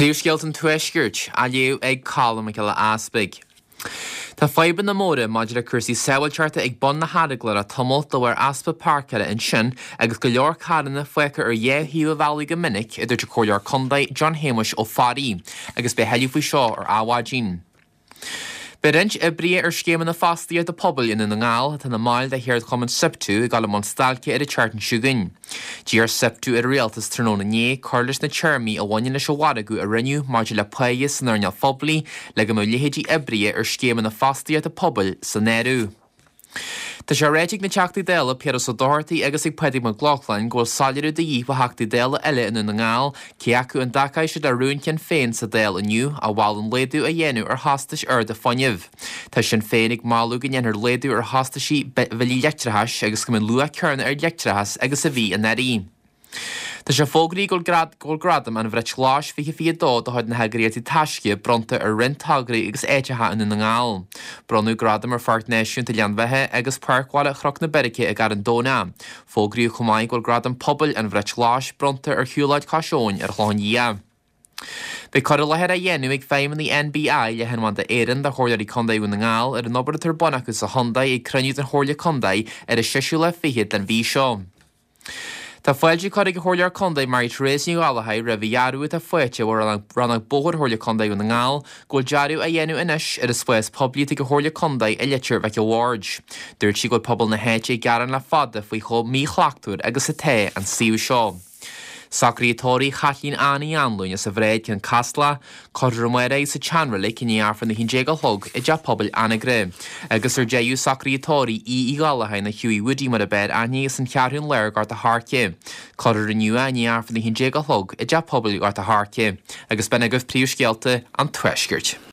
Príomhscéalta an Tuaiscirt, á léamh ag Colm Mac Giolla Easpaig. Tá fadhbanna móra maidir le cúrsaí sábháilteachta ag bun na hEaragla le tamall de bharr easpa páirceála ansin agus go leor carranna fágtha ar dhá thaobh an bhealaigh go minic, a dúirt an Comhairleoir Contae John Shéamuis Ó Fearraigh, agus beidh tuilleadh faoi seo ar Adhmhaidin. Beidh roinnt oibrithe ar scéimeanna fostaíochta pobail i nDún na nGall, atá ina mbaill de cheardchumann Siptu, ag dul i mbun stailce ar an tseachtain seo chugainn. D'iarr Siptu ar an Rialtas tráthnóna inné cur leis na téarmaí a bhaineann leis an mhargadh a rinneadh maidir le páighe san earnáil phoiblí le go mbeadh leithéidí oibrithe ar scéimeanna fostaíochta pobail san áireamh. Tá sé ráite ag na Teachtaí Dála Piaras Ó Dochartaigh agus ag Pádraig Mac Lochlainn go bhfuil soiléiriú de dhíth ó Theachtaí Dála eile i nDún na nGall cé acu an dtacóidh siad le rún Shinn Féin sa Dáil inniu a mholann laghdú a dhéanamh ar chostais arda fuinnimh. Tá Sinn Féin ag moladh go ndéanfar laghdú ar chostaisí billí leictreachais agus go mbeidh an luach céanna ar leictreachas agus a bhí anuraidh. Tá sé fógraithe go bhfuil Gradam an Bhrait Ghlais 2022 de chuid na heagraíochta Taisce bronnta ar roinnt tograí agus áiteacha i nDún na nGall. Bronnadh gradaim ar Pháirc Náisiúnta Ghleann Bheatha agus Páirc Bhaile Chnoc na Beirice i gCarn Domhnach. Fógraíodh chomh maith go bhfuil Gradam Pobail an Bhrait Ghlais bronnta ar Shiúlóid Cois Abhann ar an Chlochán Liath. Beidh cur i láthair á dhéanamh ag feidhmeannaigh NBI Leathanbhanda Éireann do Chomhairleoirí Contae Dhún na nGall ar an obair atá ar bun acu sa chontae ag cruinniú den Chomhairle Contae ar an seisiú lá fichead den mhí seo. Tá fáilte curtha ag an Chomhairleoir Contae Mary Therese Ní Ghallchóir roimh an dhearbhú atá faighte ó Rannóg Bóthair Chomhairle Contae Dhún na nGall go bhfuil dearadh á dhéanamh anois ar an spás poiblí atá ag an Chomhairle Contae i Leitir Mhic a' Bhaird. Dúirt sí go bhfuil pobal na háite ag gearán le fada faoi chomh míshlachtmhar agus atá an suíomh seo. Socruithe tórraimh Chaitlín Ann Uí Anluain as an Bhráid, Cionn Caslach, Cuirfear amárach í sa tSeanreilig i ndiaidh Aifreann 11 a chlog i dTeach Pobail Anagaire. Agus ar deireadh, socruithe tórraimh Aodh Uí Ghallchóir nó Hughie Woody mar ab fhearr aithne as an Cheathrún Láir, Gort a' Choirce. Cuirfear inniu é i ndiaidh Aifreann 11 a chlog i dTeach Pobail Ghort a' Choirce. Agus b'in agaibh príomhscéalta an Tuaiscirt.